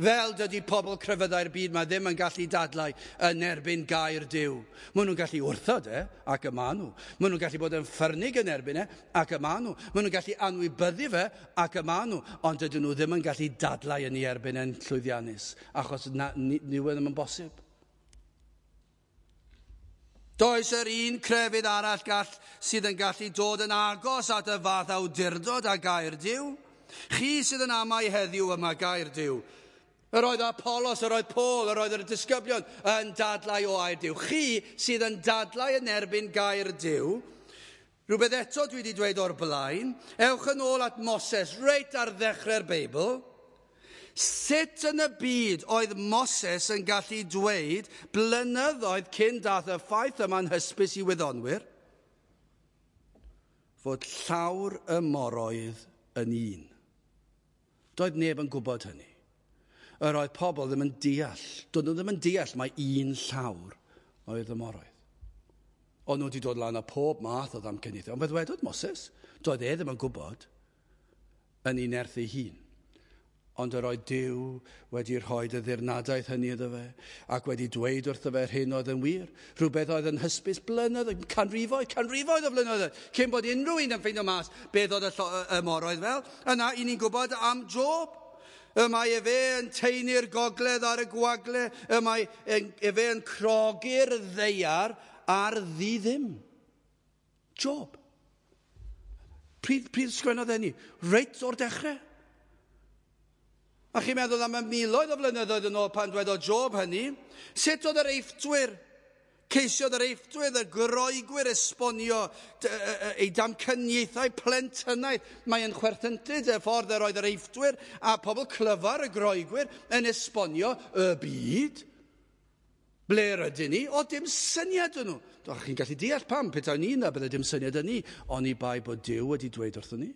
Speaker 1: Fel dydy pobl crefyddau'r byd ma ddim yn gallu dadlau yn erbyn gair Duw. Maen nhw'n gallu wrthod e, ac y maen nhw. Maen nhw'n gallu bod yn ffyrnig yn erbyn e, ac y maen nhw. Maen nhw'n gallu anwybyddu fe, ac y maen nhw. Ond dydyn nhw ddim yn gallu dadlau yn ei erbyn e'n llwyddiannus, achos na, ni, ni ddim yn bosib. Does yr un crefydd arall gall, sydd yn gallu dod yn agos at y fath awdurdod a gair Duw. Chi sydd yn amau heddiw yma gair Duw. Yr oedd Apollos, yr oedd Paul, yr oedd yr disgyblion yn dadlau o air Duw. Chi sydd yn dadlau yn erbyn gair Duw. Rhywbeth eto dwi wedi dweud o'r blaen. Ewch yn ôl at Moses, reit ar ddechrau'r Beibl. Sut yn y byd oedd Moses yn gallu dweud blynyddoedd cyn dath y ffaith yma'n hysbys i wyddonwyr fod llawr y moroedd yn un? Doedd neb yn gwybod hynny. Yr oedd pobl ddim yn deall. Doedd nhw ddim yn deall mai un llawr oedd y moroedd. O'n nhw wedi dod lan â pob math o ddamcaniaethau. Ond fe ddwedodd Moses, doedd e ddim yn gwybod yn ei nerth ei hun. Ond yr oedd Duw wedi rhoi y ddirnadaeth hynny iddo fe, ac wedi dweud wrtho fe yr hyn oedd yn wir. Rhywbeth oedd yn hysbys blynyddoedd, canrifoedd, canrifoedd o flynyddoedd, cyn bod unrhyw un yn ffeindio mas beth oedd y moroedd fel. Yna, i ni'n gwybod am Job. Y mae efe yn taenu'r gogledd ar y gwagle, y mae efe yn crogi'r ddaear ar ddi ddim. Job. Pryd sgwennodd e ni? Reit o'r dechrau. A chi'n meddwl am y miloedd o flynyddoedd yn ôl pan dwedodd Job hynny, sut oedd yr Eifftwyr, ceisiodd yr Eifftwyr, y Groegwyr esbonio ei damcaniaethau plentynaidd. Mae'n chwerthyntyd y ffordd yr oedd yr Eifftwyr a pobl clyfar y Groegwyr yn esbonio y byd. Ble rydyn ni? O, dim syniad yn nhw. Chi'n gallu deall pam, petai ni yna, bydde dim syniad yn ni, oni bai bod Duw wedi dweud wrthon ni.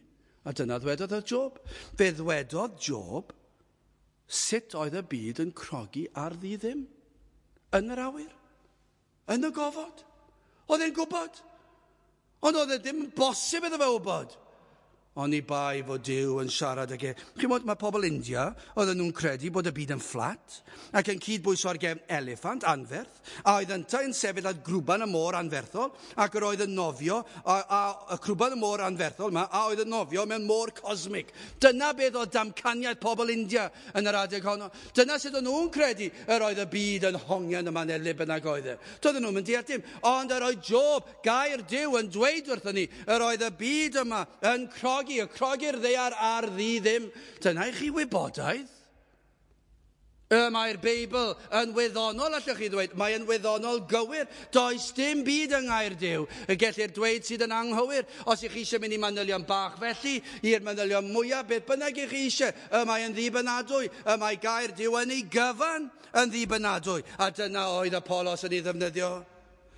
Speaker 1: A dyna ddwedodd y Job. Fe ddwedodd Job sut oedd y byd yn crogi ar ddi ddim? Yn yr awyr? Yn y gofod? Oedd e'n gwybod? Ond oedd e ddim yn bosib iddo fe wybod. Oni bai fod Duw yn siarad ag e. Chi'n gwybod, mae pobl India, oedden nhw'n credu bod y byd yn fflat ac yn cydbwyso ar gefn eliffant anferth, a oedd yntau yn sefyll ar grwban y môr anferthol, ac yr oedd yn nofio, a y crwban y môr anferthol yma, a oedd yn nofio mewn môr cosmig. Dyna beth oedd damcaniaeth pobl India yn yr adeg honno. Dyna sut o'n nhw'n credu yr oedd y byd yn hongian yma neu le bynnag oedd e. Doedden nhw'n mynd deall dim, ond yr oedd Job, gair Duw, yn dweud wrthon ni, yr oedd y byd yma yn crogi, y crogi'r ddaear ar ddi ddim. Dyna i chi wybodaeth. Y mae'r Beibl yn wyddonol, allwch chi ddweud. Mae'n wyddonol gywir. Does dim byd yng ngair Duw y gellir dweud sydd yn anghywir. Os ych chi eisiau mynd i manylion bach felly, i'r manylion mwyaf, beth bynnag ych chi eisiau, y mae yn ddibynadwy. Y mae gair Duw yn ei gyfan yn ddibynadwy. A dyna oedd Apollos yn ei ddefnyddio.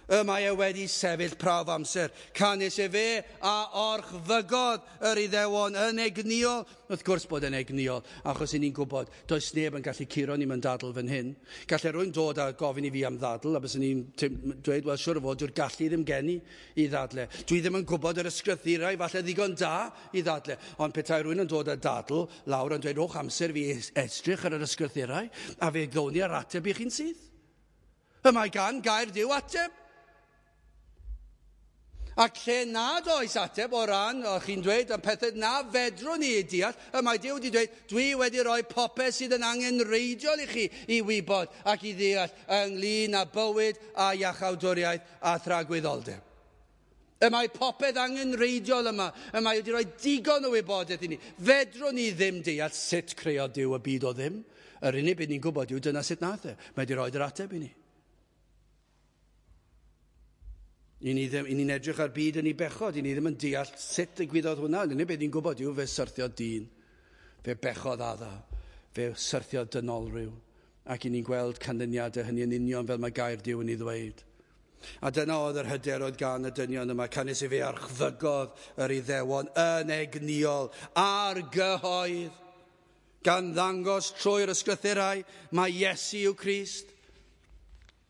Speaker 1: Y mae e wedi sefyll prawf amser. Canys efe a orchfygodd yr Iddewon yn egnïol. Wrth gwrs bod yn egnïol, achos i ni'n gwybod, does neb yn gallu curo ni mewn dadl fan hyn. Gallai rhywun dod a gofyn i fi am ddadl, a byswn i'n dweud, wel, siŵr o fod, dyw'r gallu ddim gen i i ddadle. Dwi ddim yn gwybod yr ysgrythurau, falle ddigon da i ddadle. Ond petai rhywun yn dod â dadl lawr yn dweud, rhowch amser fi edrych ar yr ysgrythurau, a fe ddown ni ar ateb i chi'n syth. Y mae gan gair Duw ateb. Ac lle nad oes ateb o ran, o chi'n dweud, am pethau na fedrwn ni ei deall, y mae Duw wedi dweud, dwi wedi rhoi popeth sydd yn angenrheidiol i chi i wybod ac i ddeall ynglyn â bywyd a iachawdwriaeth a thragwyddoldeb. Y mae popeth angenrheidiol yma. Y mae wedi rhoi digon o wybodaeth i ni. Fedrwn ni ddim deall sut creodd Duw y byd o ddim. Yr unig beth ni'n gwybod yw dyna sut nath e. Mae wedi rhoi yr ateb i ni. I ni'n edrych ar byd yn ei bechod, i ni ddim yn deall sut ddigwyddodd hwnna. Yr unig beth ni'n gwybod yw fe syrthiodd dyn, fe bechodd Adda, fe syrthiodd dynolryw. Ac i ni'n gweld canlyniadau hynny yn union fel mae gair Duw yn ei ddweud. A dyna oedd yr hyder oedd gan y dynion yma, canys i fe archfygodd yr Iddewon yn egnïol ar gyhoedd, gan ddangos trwy'r ysgrythurau mae Iesu yw Crist.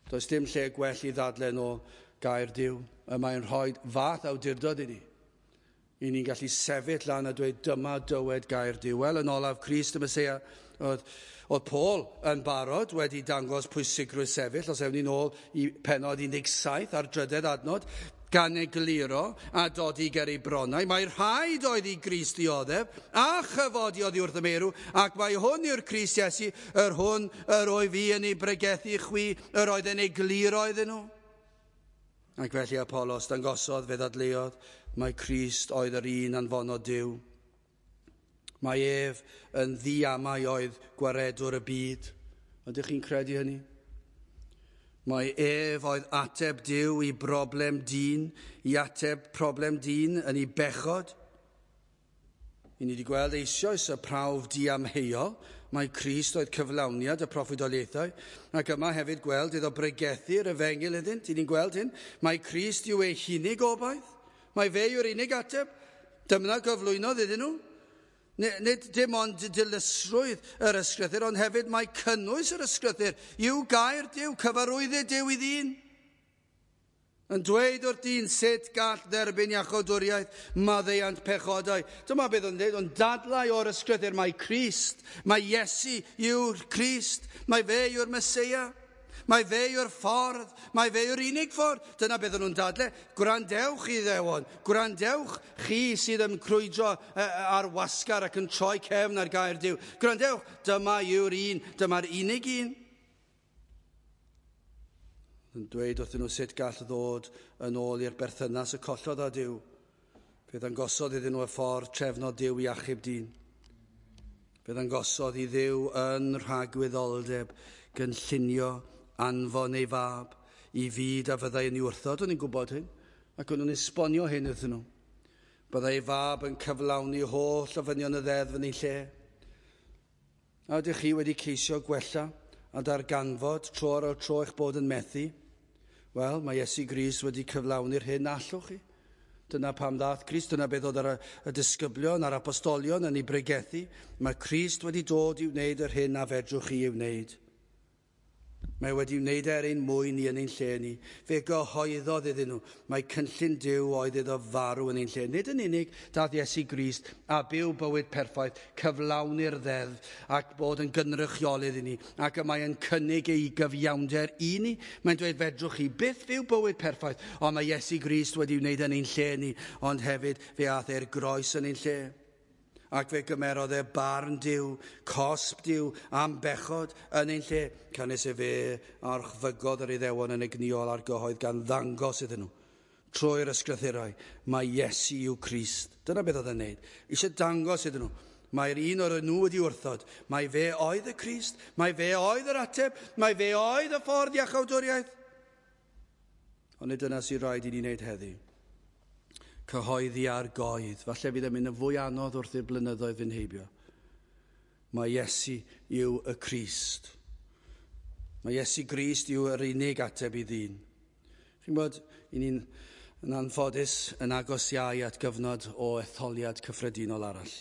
Speaker 1: Does dim lle gwell i ddadlen o gair Duw. Y mae'n rhoi fath awdurdod i ni. I ni'n gallu sefyll lan a dweud dyma dywed gair Duw. Wel, yn olaf, Crist y Meseia, oedd Paul yn barod wedi dangos pwysigrwydd sefyll, os ewn ni nôl i pennod 17 ar drydedd adnod, gan egluro a dodi ger ei bronnau. Mae rhaid oedd i Grist ddioddef a chyfodi oddi wrth y meirw, ac mae hwn yw'r Crist Iesu, yr hwn yr oedd fi yn ei bregethu chwi, yr oedd yn egluro iddyn nhw. Ac felly Apolos dangosodd, fe ddadleuodd, mae Crist oedd yr un anfonodd Duw. Mae ef yn ddiamau oedd gwaredwr y byd. Ydych chi'n credu hynny? Mae ef oedd ateb Duw i broblem dyn, i ateb problem dyn yn ei bechod. I ni wedi gweld eisoes y prawf diamheuol, mae Crist oedd cyflawniad y proffwydoliaethau, ac yma hefyd gweld iddo bregethu'r efengyl iddynt, i ni'n gweld hyn, mae Crist yw ei hunig obaith, mae fe yw'r unig ateb, dyma gyflwynodd iddyn nhw. Nid dim ond dilysrwydd yr ysgrythur, ond hefyd mae cynnwys yr ysgrythur yw gair Duw, cyfarwyddyd Duw i ddyn. Yn dweud wrth dyn sut gall dderbyn iachawdwriaeth, maddeuant pechodau. Dyma beth o'n dweud, ond dadlau o'r ysgrythur, mae Crist, mae Iesu yw'r Crist, mae fe yw'r Meseia, mae fe yw'r ffordd, mae fe yw'r unig ffordd. Dyna beth o'n nhw'n dadlau. Gwrandewch i Iddewon, gwrandewch chi sydd yn crwydro ar wasgar ac yn troi cefn ar gair Duw. Gwrandewch, dyma yw'r un, dyma'r unig un. Yn dweud wrthyn nhw sut gall ddod yn ôl i'r berthynas y collodd â Duw. Fe ddangosodd iddyn nhw y ffordd trefnodd Duw i achub dyn. Fe ddangosodd i Dduw yn rhagwyddoldeb gynllunio anfon ei fab i fyd a fyddai yn ei wrthod. O'n i'n gwybod hyn, ac o'n nhw'n esbonio hyn iddyn nhw. Byddai ei fab yn cyflawni holl ofynion y ddeddf yn ei lle. A ydych chi wedi ceisio gwella a darganfod tro ar ôl tro eich bod yn methu? Wel, mae Iesu Grist wedi cyflawni'r hyn allwch chi. Dyna pam ddaeth Crist, dyna beth oedd ar y disgyblion a'r apostolion yn ei bregethu. Mae Crist wedi dod i wneud yr hyn a fedrwch chi ei wneud. Mae wedi wneud er ein mwyn ni yn ein lle ni. Fe gyhoeddodd iddyn nhw. Mae cynllun Duw oedd iddo farw yn ein lle. Nid yn unig daeth Iesu Grist a byw bywyd perffaith, cyflawni'r ddeddf ac bod yn gynrychiolydd i ni. Ac y mae yn cynnig ei gyfiawnder i ni. Mae'n dweud fedrwch chi byth fyw bywyd perffaith, ond mae Iesu Grist wedi wneud yn ein lle ni, ond hefyd fe aeth e'r groes yn ein lle. Ac fe gymerodd e barn Duw, cosb Duw am bechod yn ein lle. Canys e fe archfygodd yr Iddewon yn egnïol ar gyhoedd gan ddangos iddyn nhw. Trwy'r ysgrythurau, mae Iesu yw Crist. Dyna beth oedd e'n neud. Eisiau dangos iddyn nhw. Mae'r un o'r nhw wedi wrthod. Mae fe oedd y Crist, mae fe oedd yr ateb, mae fe oedd y ffordd iachawdwriaeth. Ond nid dyna sy'n rhaid i ni wneud heddi. Cyhoeddi ar goedd. Falle fydd yn mynd yn fwy anodd wrth i'r blynyddoedd fynd heibio. Mae Iesu yw y Crist. Mae Iesu Grist yw yr unig ateb i ddyn. Chi'n bod, i ni'n yn anffodus yn agos iau at gyfnod o etholiad cyffredinol arall.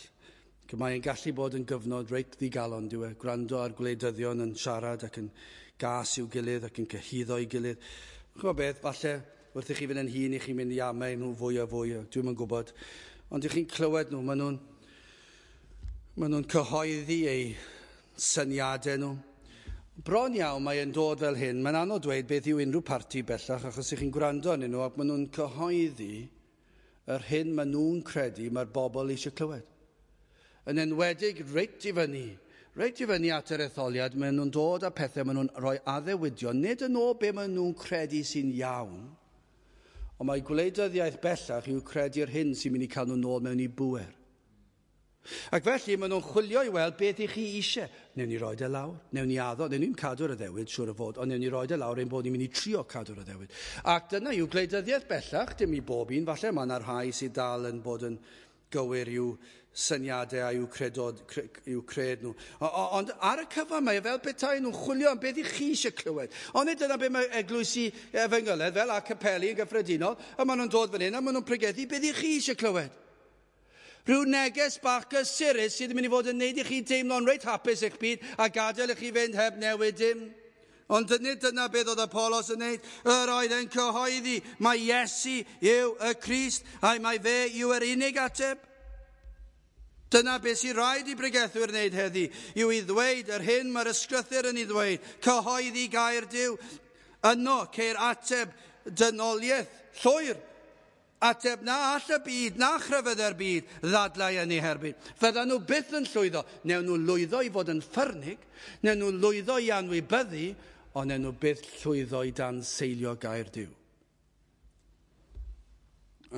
Speaker 1: Mae'n gallu bod yn gyfnod reit ddigalon, dyw e, gwrando ar gwleidyddion yn siarad ac yn gas i'w gilydd ac yn cyhuddo i'w gilydd. Chi'n gwybod beth, falle wrth i chi fynd yn hŷn, i chi'n mynd i amau nhw fwy a fwy, dwi'm yn gwybod. Ond i chi'n clywed nhw, maen nhw'n cyhoeddi eu syniadau nhw. Bron iawn mae e'n dod fel hyn. Mae'n anodd dweud beth yw unrhyw parti bellach, achos i chi'n gwrando arnyn nhw ac maen nhw'n cyhoeddi yr hyn maen nhw'n credu mae'r bobl eisiau clywed. Yn enwedig reit i fyny at yr etholiad, maen nhw'n dod â pethau, maen nhw'n rhoi addewidion, nid yn ôl be maen nhw'n credu sy'n iawn, Ond mae gwleidyddiaeth bellach yw credu'r hyn sy'n mynd i cael nhw nôl mewn i bŵer. Ac felly maen nhw'n chwilio i weld beth i chi eisiau. Newn ni roed e lawr, newn ni addo, newn ni'n cadw'r addewid, siŵr o fod, ond newn ni roed e lawr ein bod ni'n mynd i trio cadw'r addewid. Ac dyna yw gwleidyddiaeth bellach, dim i bob un, falle mae yna rhai sydd dal yn bod yn gywir i'w syniadau a i'w, credod, cre, i'w cred nhw. Ond ar y cyfan mae e fel petai nhw'n chwilio am beth i chi eisiau clywed. Ond nid dyna beth mae eglwysi efengyledd fel a capeli yn gyffredinol, a maen nhw'n dod fan hyn a maen nhw'n pregethu beth i chi eisiau clywed. Rhyw neges bach gysurus sydd yn mynd i fod yn neud i chi teimlo'n reit hapus eich byd a gadael i chi fynd heb newid dim. Ond nid dyna beth oedd Apolos yn neud. Yr oedd yn cyhoeddi mae Iesu yw y Crist a mae fe yw yr unig ateb. Dyna beth sy'n rhaid i bregethwyr wneud heddi, yw i ddweud yr hyn mae'r ysgrythur yn ei ddweud, cyhoeddi gair Duw. Yno ceir ateb dynoliaeth llwyr. Ateb na all y byd, na chrefyddau'r byd, ddadlau yn ei herbyn. Fyddan nhw byth yn llwyddo. Newn nhw lwyddo i fod yn ffyrnig, newn nhw lwyddo i anwybyddu, ond newn nhw byth llwyddo i danseilio gair Duw.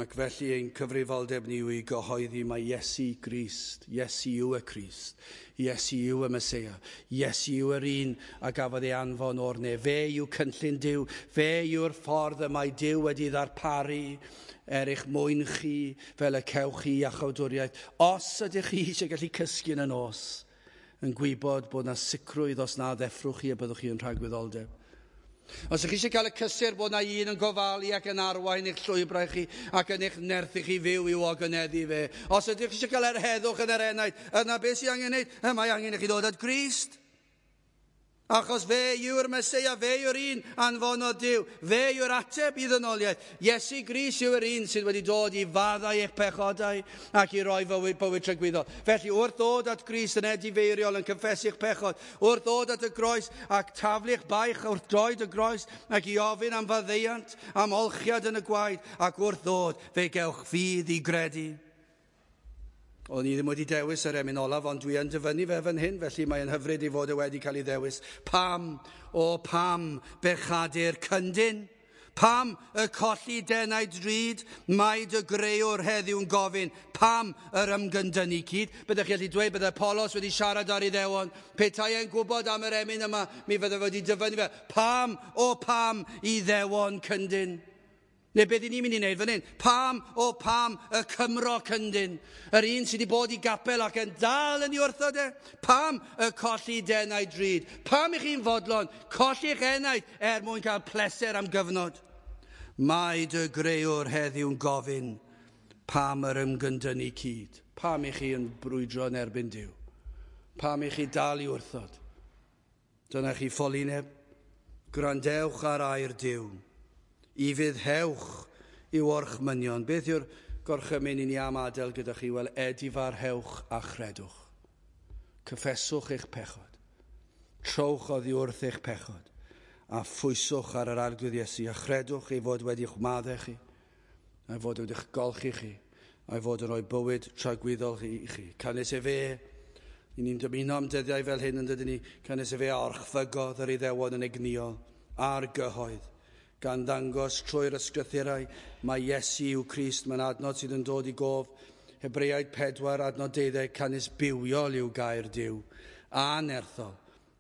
Speaker 1: Ac felly ein cyfrifoldeb ni yw i gyhoeddi mai Iesu Grist, Iesu yw y Crist, Iesu yw y Meseia, Iesu yw yr un a gafodd ei anfon o'r nef. Fe yw cynllun Duw, fe yw'r ffordd y mae Duw wedi ddarparu er eich mwyn chi fel y cewch chi iachawdwriaeth. Os ydych chi eisiau gallu cysgu yn y nos, yn gwybod bod na sicrwydd os na ddeffrwch chi y byddwch chi yn rhagwyddoldeb. Os ydych chi eisiau cael y cysur bod na un yn gofalu ac yn arwain eich llwybrau chi ac yn eich nerthu chi fyw i'w ogoneddu fe. Os ydych chi eisiau cael yr heddwch yn yr enaid, yna beth sydd angen wneud? Mae angen i chi ddod at Grist. Achos fe yw'r Meseia, fe yw'r un anfonodd Duw, fe yw'r ateb i ddynoliaeth. Iesu Grist yw'r un sydd wedi dod i faddau eich pechodau ac i roi fywyd, bywyd tragwyddol. Felly wrth ddod at Grist yn edifeiriol yn cyffesu'ch pechod, wrth ddod at y groes ac taflu'ch baich wrth droed y groes ac i ofyn am faddeuant, am olchiad yn y gwaed, ac wrth ddod fe gewch ffydd i gredu. O'n i ddim wedi dewis yr emyn olaf, ond dwi yn dyfynnu fe fan hyn, felly mae'n hyfryd i fod e wedi cael ei ddewis. Pam, o pam, bechadur cyndyn? Pam y colli denau drud? Mae dy greuwr heddiw'n gofyn. Pam yr ymgyndynnu cyd? Byddech chi allu dweud bydde Apolos wedi siarad ar Iddewon. Petai e'n gwybod am yr emyn yma, mi fydde wedi dyfynnu fe. Pam, o pam, Iddewon cyndyn? Neu beth i ni'n mynd i wneud fan hyn? Pam, o pam, y Cymro cyndyn? Yr un sydd wedi bod i gapel ac yn dal yn ei wrthod e? Pam y colli denau drud? Pam i chi'n fodlon colli'ch enaid er mwyn cael pleser am gyfnod? Mae dy greuwr heddiw'n gofyn pam yr ymgyndynnu cyd? Pam i chi yn brwydro yn erbyn Duw? Pam i chi dal i wrthod? Dyna chi ffolineb. Gwrandewch ar air Duw. I fuddhewch i'w orchmynion. Beth yw'r gorchymyn i ni am adael gyda chi? Wel, edifarhewch a chredwch. Cyffeswch eich pechod. Trowch oddi wrth eich pechod. A phwyswch ar yr Arglwydd Iesu. A chredwch ei fod wedi'ch maddau chi. A'i fod wedi'ch golchi chi. A'i fod yn rhoi bywyd tragwyddol i chi. Canys efe, i ni'n dymuno am dyddiau fel hyn yn dydyn ni, canys efe a orchfygodd yr Iddewon yn egnïol a'r gyhoedd, gan ddangos trwy'r ysgrythurau mae Iesu yw Crist. Mae'n adnod sydd yn dod i gof. Hebreaid 4, adnod 12, canys bywiol yw gair Duw, a nerthol,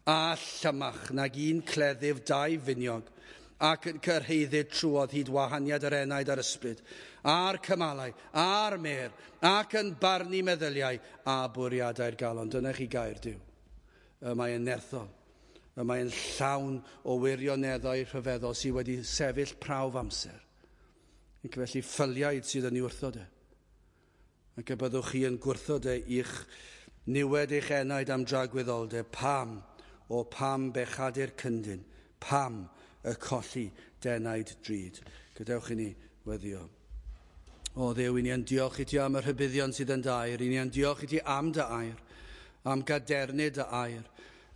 Speaker 1: a llymach nag un cleddyf dau finiog, ac yn cyrhaeddyd trwodd hyd wahaniad yr enaid a'r ysbryd, a'r cymalau, a'r mêr, ac yn barnu meddyliau a bwriadau'r galon. Dyna chi gair Duw. Y mae yn nerthol. Y mae'n llawn o wirioneddau rhyfeddol sydd wedi sefyll prawf amser. Ac felly ffyliaid sydd yn ei wrthod e. Ac y byddwch chi yn gwrthod e i'ch niwed eich enaid am dragwyddoldeb. Pam, o pam bechadur cyndyn, pam y colli denaid drud. Gadewch i ni weddio. O Dduw, i ni yn diolch i ti am y rhybuddion sydd yn dy air. I ni yn diolch i ti am dy air, am gadernid dy air,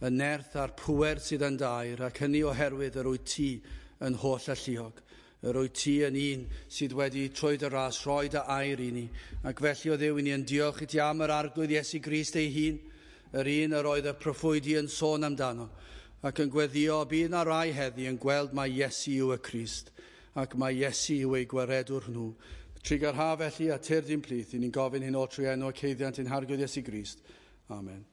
Speaker 1: y nerth a'r pŵer sydd yn dy air, ac hynny oherwydd yr wyt ti yn holl alluog. Yr wyt ti yn un sydd wedi trwy dy ras rhoi dy air i ni. Ac felly o Dduw, i ni yn diolch i ti am yr Arglwydd Iesu Grist ei hun, yr un yr oedd y proffwydi yn sôn amdano, ac yn gweddio bydd na rai heddi yn gweld mai Iesu yw y Crist, ac mae Iesu yw eu gwaredwr nhw. Trugarha felly a tyrd i'n plith, i ni'n gofyn hyn oll trwy enw ac haeddiant ein Harglwydd Iesu Grist. Amen.